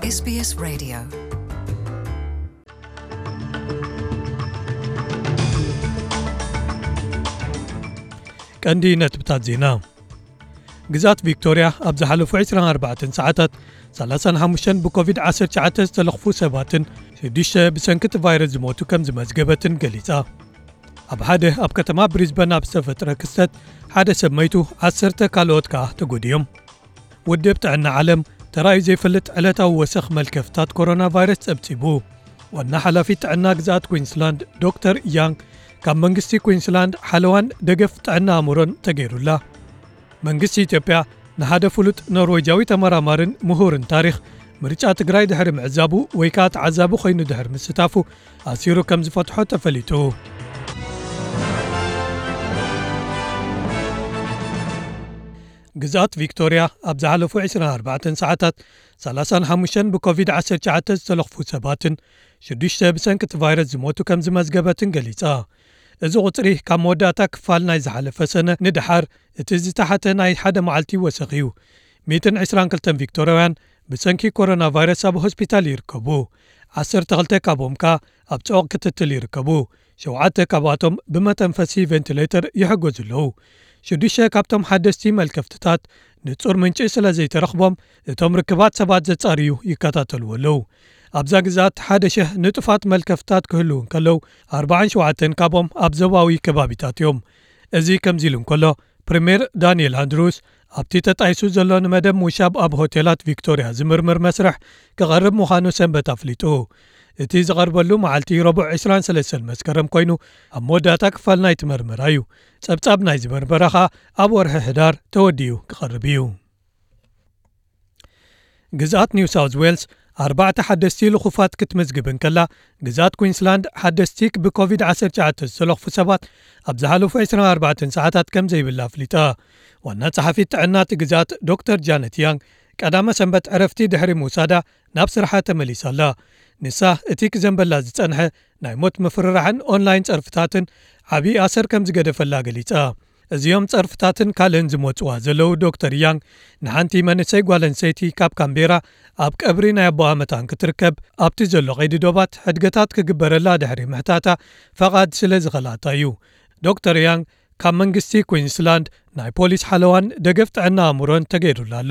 SBS Radio. ቀንዲ ነጥብታት ዜና። ግዝኣት ቪክቶርያ ኣብ ዝሓለፉ ዕስራን ኣርባዕተን ሰዓታት ሰላሳን ሓሙሽተን ብኮቪድ ዓሰርተ ትሽዓተ ዝተለኽፉ ሰባትን ሽዱሽተ ብሰንኪ እቲ ቫይረስ ዝሞቱ ከም ዝመዝገበትን ገሊጻ። ኣብ ሓደ ኣብ ከተማ ብሪዝበን ኣብ ዝተፈጥረ ክስተት ሓደ ሰብ መይቱ፣ ዓሰርተ ካልኦት ከኣ ተጎዲኦም። ውድብ ጥዕና ዓለም ተራእዩ ዘይፈልጥ ዕለታዊ ወሰኽ መልከፍታት ኮሮና ቫይረስ ጸብጺቡ። ዋና ሓላፊት ጥዕና ግዝኣት ኩዊንስላንድ ዶክተር ያንግ ካብ መንግስቲ ኩዊንስላንድ ሓለዋን ደገፍ ጥዕና ኣእምሮን ተገይሩላ። መንግስቲ ኢትዮጵያ ንሓደ ፍሉጥ ኖርዌጃዊ ተመራማርን ምሁርን ታሪኽ ምርጫ ትግራይ ድሕሪ ምዕዛቡ ወይ ከኣ ተዓዛቢ ኮይኑ ድሕሪ ምስታፉ ኣሲሩ ከም ዝፈትሖ ተፈሊጡ። ግዝኣት ቪክቶርያ ኣብ ዝሓለፉ ዕስራን ኣርባዕተን ሰዓታት ሰላሳን ሓሙሽተን ብኮቪድ ዓሰርተ ትሽዓተ ዝተለኽፉ ሰባትን ሽዱሽተ ብሰንኪ እቲ ቫይረስ ዝሞቱ ከም ዝመዝገበትን ገሊጻ። እዚ ቁጽሪ ካብ መወዳእታ ክፋል ናይ ዝሓለፈ ሰነ ንደሓር እቲ ዝተሓተ ናይ ሓደ መዓልቲ ወሰኽ እዩ። ሚእትን ዕስራን ክልተን ቪክቶርያውያን ብሰንኪ ኮሮና ቫይረስ ኣብ ሆስፒታል ይርከቡ። ዓሰርተ ክልተ ካብኦም ከኣ ኣብ ጽዑቕ ክትትል ይርከቡ። ሸውዓተ ካብኣቶም ብመተንፈሲ ቬንቲሌተር ይሕገዙ ኣለዉ። ሽዱሽተ ካብቶም ሓደስቲ መልከፍትታት ንጹር ምንጪ ስለ ዘይተረኽቦም፣ እቶም ርክባት ሰባት ዘጻርዩ ይከታተልዎ ኣለዉ። ኣብዛ ግዝኣት ሓደ ሽሕ ንጡፋት መልከፍታት ክህልዉ እንከለዉ፣ ኣርባዓን ሸውዓተን ካብኦም ኣብ ዞባዊ ከባቢታት እዮም። እዚ ከምዚ ኢሉ እንከሎ፣ ፕሪምየር ዳንኤል ኣንድሩስ ኣብቲ ተጣይሱ ዘሎ ንመደብ ምውሻብ ኣብ ሆቴላት ቪክቶርያ ዝምርምር መስርሕ ክቐርብ ምዃኑ ሰንበት ኣፍሊጡ። እቲ ዝቐርበሉ መዓልቲ ረቡዕ ዕስራን ሰለስተን መስከረም ኮይኑ፣ ኣብ መወዳእታ ክፋል ናይቲ መርመራ እዩ። ጸብጻብ ናይዚ መርመራ ኸኣ ኣብ ወርሒ ሕዳር ተወዲኡ ክቐርብ እዩ። ግዝኣት ኒው ሳውዝ ዌልስ ኣርባዕተ ሓደስቲ ልኹፋት ክትምዝግብ እንከላ፣ ግዝኣት ኩዊንስላንድ ሓደስቲ ብኮቪድ ዓሰርተ ትሽዓተ ዝተለኽፉ ሰባት ኣብ ዝሓለፉ ዕስራን ኣርባዕተን ሰዓታት ከም ዘይብላ ኣፍሊጣ። ዋና ጸሓፊት ጥዕና እቲ ግዝኣት ዶክተር ጃነት ያንግ ቀዳመ ሰንበት ዕረፍቲ ድሕሪ ምውሳዳ ናብ ስርሓ ተመሊሳ ኣላ። ንሳ እቲ ክዘንበላ ዝጸንሐ ናይ ሞት ምፍርራሕን ኦንላይን ጸርፍታትን ዓቢ ኣሰር ከም ዝገደፈላ ገሊጻ። እዚኦም ጸርፍታትን ካልእን ዝመጽዋ ዘለዉ ዶክተር ያንግ ንሓንቲ መንእሰይ ጓል ኣንስተይቲ ካብ ካምቤራ ኣብ ቀብሪ ናይ ኣቦኣ መታን ክትርከብ ኣብቲ ዘሎ ቀይዲ ዶባት ሕድገታት ክግበረላ ድሕሪ ምሕታታ ፈቓድ ስለ ዝኸልኣታ እዩ። ዶክተር ያንግ ካብ መንግስቲ ኩዊንስላንድ ናይ ፖሊስ ሓለዋን ደገፍ ጥዕና ኣእምሮን ተገይሩላ ኣሎ።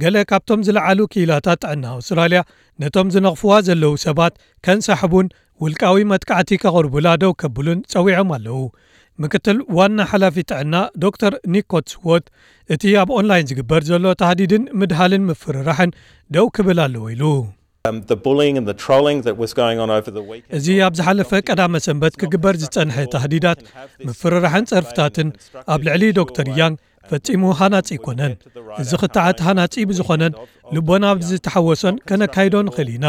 ገለ ካብቶም ዝለዓሉ ክኢላታት ጥዕና ኣውስትራልያ ነቶም ዝነቕፍዋ ዘለዉ ሰባት ከንሳሕቡን ውልቃዊ መጥቃዕቲ ከቕርቡላ ደው ከብሉን ጸዊዖም ኣለዉ። ምክትል ዋና ሓላፊ ጥዕና ዶክተር ኒክ ኮትስዎርት፣ እቲ ኣብ ኦንላይን ዝግበር ዘሎ ታህዲድን ምድሃልን ምፍርራሕን ደው ክብል ኣለዎ ኢሉ። Um, the bullying and the trolling that was going on over the weekend. እዚ ኣብ ዝሓለፈ ቀዳመ ሰንበት ክግበር ዝጸንሐ ታህዲዳት፣ ምፍርራሕን ጸርፍታትን ኣብ ልዕሊ ዶክተር ያንግ ፈጺሙ ሃናጺ ኣይኮነን። እዚ ክትዓት ሃናጺ ብዝኾነን ልቦና ብዝተሓወሶን ከነካይዶ ንኽእል ኢና።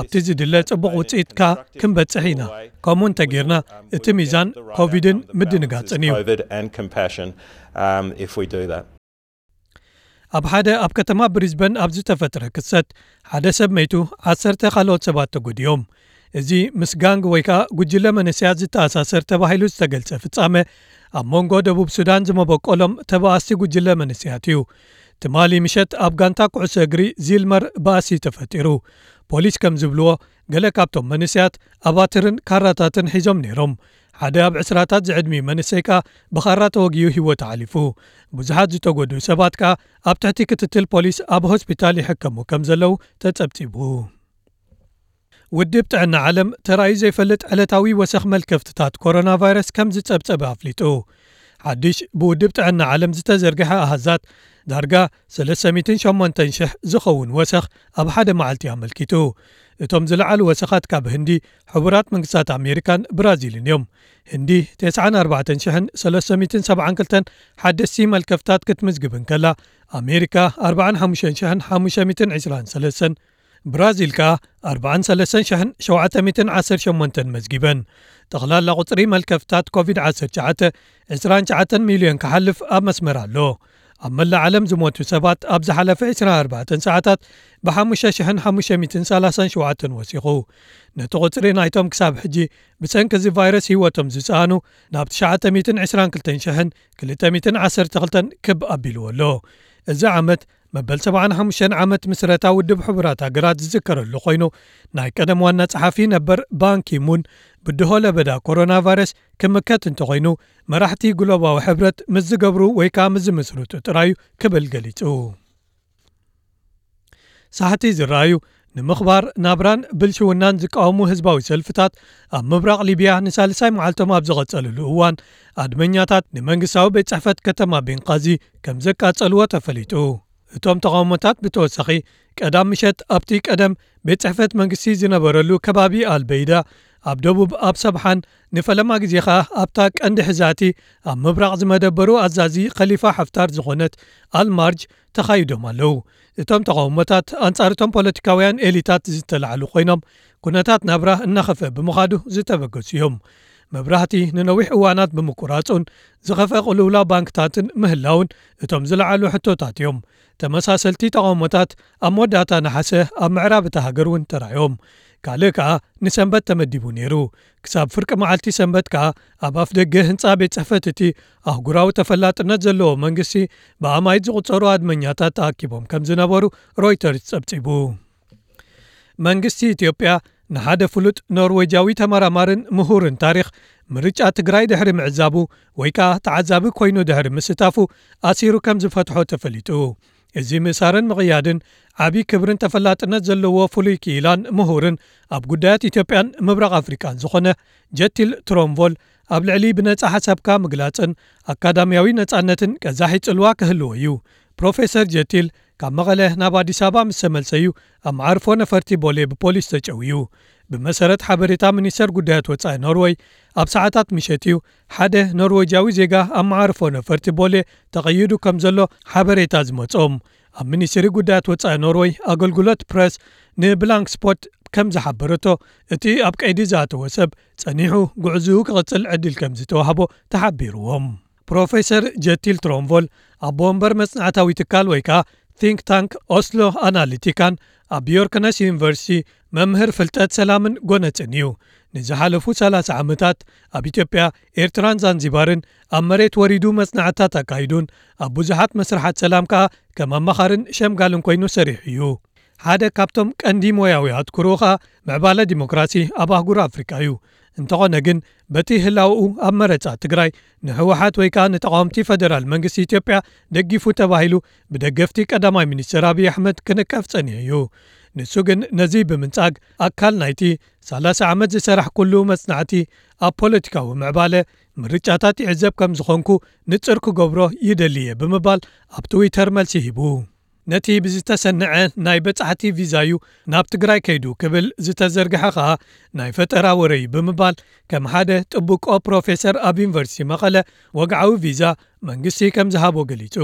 ኣብቲ ዝድለ ጽቡቕ ውጽኢትካ ክንበጽሕ ኢና። ከምኡ እንተጌርና፣ እቲ ሚዛን ኮቪድን ምድንጋጽን እዩ። COVID and compassion, um, if we do that. ኣብ ሓደ ኣብ ከተማ ብሪዝበን ኣብ ዝተፈጥረ ክስተት ሓደ ሰብ መይቱ፣ ዓሰርተ ካልኦት ሰባት ተጎዲኦም። እዚ ምስ ጋንግ ወይ ከኣ ጉጅለ መንእሰያት ዝተኣሳሰር ተባሂሉ ዝተገልጸ ፍጻመ ኣብ መንጎ ደቡብ ሱዳን ዝመበቆሎም ተባኣስቲ ጉጅለ መንእሰያት እዩ። ትማሊ ምሸት ኣብ ጋንታ ኩዕሶ እግሪ ዚልመር ባእሲ ተፈጢሩ። ፖሊስ ከም ዝብልዎ፣ ገለ ካብቶም መንእሰያት ኣባትርን ካራታትን ሒዞም ነይሮም። ሓደ ኣብ ዕስራታት ዝዕድሚኡ መንእሰይ ከኣ ብኻራ ተወጊኡ ህይወቱ ሓሊፉ። ብዙሓት ዝተጎድኡ ሰባት ከኣ ኣብ ትሕቲ ክትትል ፖሊስ ኣብ ሆስፒታል ይሕከሙ ከም ዘለዉ ተጸብጺቡ። ውድብ ጥዕና ዓለም ተራእዩ ዘይፈልጥ ዕለታዊ ወሰኽ መልከፍትታት ኮሮና ቫይረስ ከም ዝጸብጸበ ኣፍሊጡ። ሓድሽ ብውድብ ጥዕና ዓለም ዝተዘርግሐ ኣሃዛት፣ ዳርጋ ሰለስተ ሚእትን ሸሞንተን ሽሕ ዝኸውን ወሰኽ ኣብ ሓደ መዓልቲ ኣመልኪቱ። እቶም ዝለዓሉ ወሰኻት ካብ ህንዲ፣ ሕቡራት መንግስታት ኣሜሪካን ብራዚልን እዮም። ህንዲ ተስዓን ኣርባዕተን ሽሕን ሰለስተ ሚእትን ሰብዓን ክልተን ሓደስቲ መልከፍታት ክትምዝግብ እንከላ፣ ኣሜሪካ ኣርባዓን ሓሙሽተን ሽሕን ሓሙሽተ ሚእትን ዕስራን ሰለስተን፣ ብራዚል ከኣ ኣርባዓን ሰለስተን ሽሕን ሸውዓተ ሚእትን ዓሰርተ ሸሞንተን መዝጊበን። ጠቕላላ ቁጽሪ መልከፍታት ኮቪድ ዓሰርተ ትሽዓተ ዕስራን ትሽዓተን ሚልዮን ክሓልፍ ኣብ መስመር ኣሎ። ኣብ መላእ ዓለም ዝሞቱ ሰባት ኣብ ዝሓለፈ ዕስራን ኣርባዕተን ሰዓታት ብሓሙሽተ ሽሕን ሓሙሽተ ሚእትን ሰላሳን ሸውዓተን ወሲኹ። ነቲ ቁጽሪ ናይቶም ክሳብ ሕጂ ብሰንኪ እዚ ቫይረስ ህይወቶም ዝሰኣኑ ናብ ትሽዓተ ሚእትን ዕስራን ክልተን ሽሕን ክልተ ሚእትን ዓሰርተ ክልተን ክብ ኣቢልዎ ኣሎ። እዚ ዓመት መበል ሰብዓን ሓሙሽተን ዓመት ምስረታ ውድብ ሕቡራት ሃገራት ዝዝከረሉ ኮይኑ፣ ናይ ቀደም ዋና ጸሓፊ ነበር ባንኪሙን ብድሆ ለበዳ ኮሮና ቫይረስ ክምከት እንተኾይኑ፣ መራሕቲ ግሎባዊ ሕብረት ምስ ዝገብሩ ወይ ከዓ ምስ ዝምስርቱ ጥራዩ ክብል ገሊጹ። ሳሕቲ ዝረኣዩ ንምኽባር ናብራን ብልሽውናን ዝቃወሙ ህዝባዊ ሰልፍታት ኣብ ምብራቕ ሊብያ ንሳልሳይ መዓልቶም ኣብ ዝቐጸልሉ እዋን፣ ኣድመኛታት ንመንግስታዊ ቤት ጽሕፈት ከተማ ቤንቃዚ ከም ዘቃጸልዎ ተፈሊጡ። እቶም ተቓውሞታት ብተወሳኺ ቀዳም ምሸት ኣብቲ ቀደም ቤት ጽሕፈት መንግስቲ ዝነበረሉ ከባቢ ኣልበይዳ ኣብ ደቡብ ኣብ ሰብሓን ንፈለማ ግዜ ኸኣ ኣብታ ቀንዲ ሕዛቲ ኣብ ምብራቕ ዝመደበሩ ኣዛዚ ኸሊፋ ሓፍታር ዝኾነት ኣልማርጅ ተኻይዶም ኣለዉ። እቶም ተቓውሞታት ኣንጻር እቶም ፖለቲካውያን ኤሊታት ዝተላዕሉ ኮይኖም፣ ኩነታት ናብራ እናኸፈ ብምኻዱ ዝተበገሱ እዮም። መብራህቲ ንነዊሕ እዋናት ብምቁራጹን ዝኸፈ ቅልውላው ባንክታትን ምህላውን እቶም ዝለዓሉ ሕቶታት እዮም። ተመሳሰልቲ ተቓውሞታት ኣብ መወዳእታ ነሓሰ ኣብ ምዕራብ እታ ሃገር እውን ተራእዮም። ካልእ ከኣ ንሰንበት ተመዲቡ ነይሩ። ክሳብ ፍርቂ መዓልቲ ሰንበት ከኣ ኣብ ኣፍ ደገ ህንጻ ቤት ጽሕፈት እቲ ኣህጉራዊ ተፈላጥነት ዘለዎ መንግስቲ ብኣማይት ዝቑጸሩ ኣድመኛታት ተኣኪቦም ከም ዝነበሩ ሮይተርስ ጸብጺቡ። መንግስቲ ኢትዮጵያ ንሓደ ፍሉጥ ኖርዌጃዊ ተመራማርን ምሁርን ታሪኽ ምርጫ ትግራይ ድሕሪ ምዕዛቡ ወይ ከኣ ተዓዛቢ ኮይኑ ድሕሪ ምስታፉ ኣሲሩ ከም ዝፈትሖ ተፈሊጡ። እዚ ምእሳርን ምቕያድን ዓቢ ክብርን ተፈላጥነት ዘለዎ ፍሉይ ክኢላን ምሁርን ኣብ ጉዳያት ኢትዮጵያን ምብራቕ ኣፍሪቃን ዝኾነ ጀቲል ትሮምቮል ኣብ ልዕሊ ብነጻ ሓሳብካ ምግላጽን ኣካዳሚያዊ ነጻነትን ቀዛሒ ጽልዋ ክህልዎ እዩ። ፕሮፌሰር ጀቲል ካብ መቐለ ናብ ኣዲስ ኣበባ ምስ ተመልሰ እዩ ኣብ መዓርፎ ነፈርቲ ቦሌ ብፖሊስ ተጨውዩ። ብመሰረት ሓበሬታ ሚኒስተር ጉዳያት ወጻኢ ኖርወይ፣ ኣብ ሰዓታት ምሸት እዩ ሓደ ኖርወጃዊ ዜጋ ኣብ መዓርፎ ነፈርቲ ቦሌ ተቐይዱ ከም ዘሎ ሓበሬታ ዝመጾም። ኣብ ሚኒስትሪ ጉዳያት ወጻኢ ኖርወይ ኣገልግሎት ፕረስ ንብላንክ ስፖርት ከም ዝሓበረቶ፣ እቲ ኣብ ቀይዲ ዝኣተወ ሰብ ጸኒሑ ጉዕዝኡ ክቕጽል ዕድል ከም ዝተዋህቦ ተሓቢርዎም። ፕሮፌሰር ጀቲል ትሮምቮል ኣቦ ወንበር መጽናዕታዊ ትካል ወይ ከኣ ቲንክ ታንክ ኦስሎ ኣናሊቲካን ኣብ ዮርክነስ ዩኒቨርሲቲ መምህር ፍልጠት ሰላምን ጎነጽን እዩ። ንዝሓለፉ ሰላሳ ዓመታት ኣብ ኢትዮጵያ፣ ኤርትራን ዛንዚባርን ኣብ መሬት ወሪዱ መጽናዕታት ኣካይዱን ኣብ ብዙሓት መስርሓት ሰላም ከኣ ከም ኣማኻርን ሸምጋልን ኮይኑ ሰሪሑ እዩ። ሓደ ካብቶም ቀንዲ ሞያዊ ኣትኩሮኡ ከኣ ምዕባለ ዲሞክራሲ ኣብ ኣህጉር ኣፍሪቃ እዩ። እንተኾነ ግን በቲ ህላውኡ ኣብ መረጻ ትግራይ ንህወሓት ወይ ከኣ ንተቓወምቲ ፈደራል መንግስቲ ኢትዮጵያ ደጊፉ ተባሂሉ ብደገፍቲ ቀዳማይ ሚኒስትር ኣብይ ኣሕመድ ክንቀፍ ጸኒሑ እዩ። ንሱ ግን ነዚ ብምንጻግ ኣካል ናይቲ ሰላሳ ዓመት ዝሰራሕ ኩሉ መጽናዕቲ ኣብ ፖለቲካዊ ምዕባለ ምርጫታት ይዕዘብ ከም ዝኾንኩ ንጽር ክገብሮ ይደሊ እየ ብምባል ኣብ ትዊተር መልሲ ሂቡ። ነቲ ብዝተሰንዐ ናይ በጻሕቲ ቪዛዩ ናብ ትግራይ ከይዱ ክብል ዝተዘርግሐ ኸኣ ናይ ፈጠራ ወረ እዩ ብምባል ከም ሓደ ጥብቆ ፕሮፌሰር ኣብ ዩኒቨርሲቲ መቐለ ወግዓዊ ቪዛ መንግስቲ ከም ዝሃቦ ገሊጹ።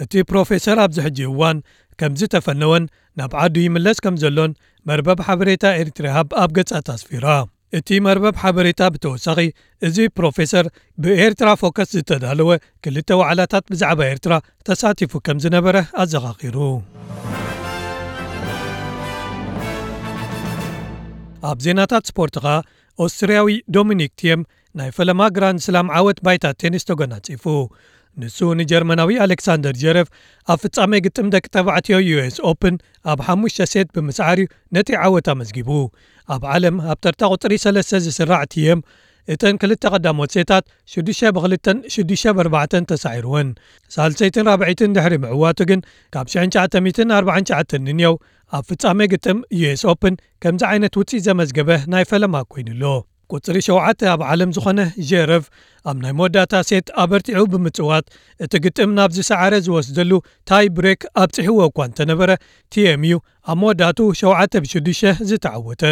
እቲ ፕሮፌሰር ኣብዚ ሕጂ እዋን ከም ዝተፈነወን ናብ ዓዱ ይምለስ ከም ዘሎን መርበብ ሓበሬታ ኤርትራ ሃብ ኣብ ገጻት ኣስፊራ። እቲ መርበብ ሓበሬታ ብተወሳኺ፣ እዚ ፕሮፌሰር ብኤርትራ ፎከስ ዝተዳለወ ክልተ ዋዕላታት ብዛዕባ ኤርትራ ተሳቲፉ ከም ዝነበረ ኣዘኻኺሩ። ኣብ ዜናታት ስፖርት ኸኣ፣ ኦስትርያዊ ዶሚኒክ ቲየም ናይ ፈለማ ግራንድ ስላም ዓወት ባይታ ቴኒስ ተጎናጺፉ። ንሱ ንጀርመናዊ ኣሌክሳንደር ጀረቭ ኣብ ፍጻሜ ግጥም ደቂ ተባዕትዮ ዩ ኤስ ኦፕን ኣብ ሓሙሽተ ሴት ብምስዓር እዩ ነቲ ዓወት ኣመዝጊቡ። ኣብ ዓለም ኣብ ተርታ ቁጽሪ ሰለስተ ዝስራዕ ቲየም፣ እተን ክልተ ቀዳሞት ሴታት ሽዱሽተ ብክልተን ሽዱሽተ ብኣርባዕተን ተሳዒርወን። ሳልሰይትን ራብዐይትን ድሕሪ ምዕዋቱ ግን ካብ ሽሕን ትሽዓተ ሚእትን ኣርባዓን ትሽዓተን ንንየው ኣብ ፍጻሜ ግጥም ዩ ኤስ ኦፕን ከምዚ ዓይነት ውጽኢት ዘመዝገበ ናይ ፈለማ ኮይኑ ኣሎ። ቁጽሪ ሸውዓተ ኣብ ዓለም ዝኾነ ጀረቭ ኣብ ናይ መወዳእታ ሴት ኣበርቲዑ ብምጽዋት እቲ ግጥም ናብ ዝሰዓረ ዝወስደሉ ታይ ብሬክ ኣብጺሕዎ እኳ እንተነበረ፣ ቲኤም እዩ ኣብ መወዳእቱ ሸውዓተ ብሽዱሽተ ዝተዓወተ።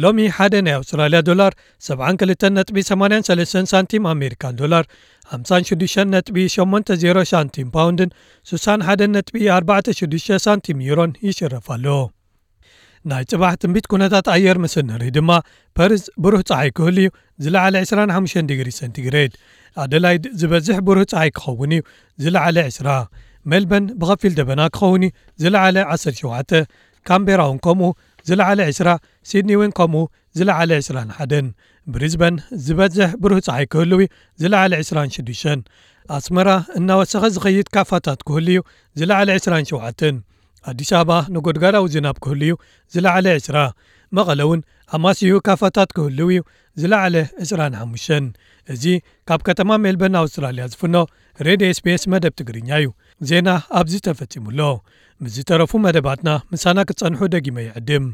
ሎሚ ሓደ ናይ ኣውስትራልያ ዶላር ሰብዓን ክልተን ነጥቢ ሰማንያን ሰለስተን ሳንቲም ኣሜሪካን ዶላር፣ ሓምሳን ሽዱሽተን ነጥቢ ሸሞንተ ዜሮ ሳንቲም ፓውንድን ሱሳን ሓደን ነጥቢ ኣርባዕተ ሽዱሽተ ሳንቲም ዩሮን ይሽረፍ ኣሎ። ናይ ጽባሕ ትንቢት ኩነታት ኣየር ምስ ንርኢ ድማ፣ ፐርዝ ብሩህ ጸሓይ ክህሉ እዩ፣ ዝለዓለ ዕስራን ሓሙሽተን ዲግሪ ሰንቲግሬድ። ኣደላይድ ዝበዝሕ ብሩህ ጸሓይ ክኸውን እዩ፣ ዝለዓለ ዕስራ። ሜልበርን ብኸፊል ደበና ክኸውን እዩ፣ ዝለዓለ ዓሰርተ ሸውዓተ። ካምቤራ እውን ከምኡ፣ ዝለዓለ ዕስራ። ሲድኒ እውን ከምኡ፣ ዝለዓለ ዕስራን ሓደን። ብሪዝበን ዝበዝሕ ብሩህ ጸሓይ ክህሉ እዩ፣ ዝለዓለ ዕስራን ሽዱሽተን። ኣስመራ እናወሰኸ ዝኸይድ ካፋታት ክህሉ እዩ፣ ዝለዓለ ዕስራን ሸውዓተን። ኣዲስ ኣበባ ነጎድጓዳዊ ዝናብ ክህሉ እዩ፣ ዝለዓለ ዕስራ። መቐለ እውን ኣማስይኡ ካፋታት ክህልው እዩ፣ ዝለዓለ ዕስራን ሓሙሽተን። እዚ ካብ ከተማ ሜልበርን ኣውስትራልያ ዝፍኖ ሬድዮ ኤስቢኤስ መደብ ትግርኛ እዩ። ዜና ኣብዚ ተፈጺሙ ኣሎ። ምስ ዝተረፉ መደባትና ምሳና ክትጸንሑ ደጊመ ይዕድም።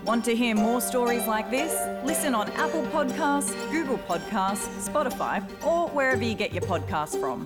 Want to hear more stories like this? Listen on Apple Podcasts, Google Podcasts, Spotify, or wherever you get your podcasts from.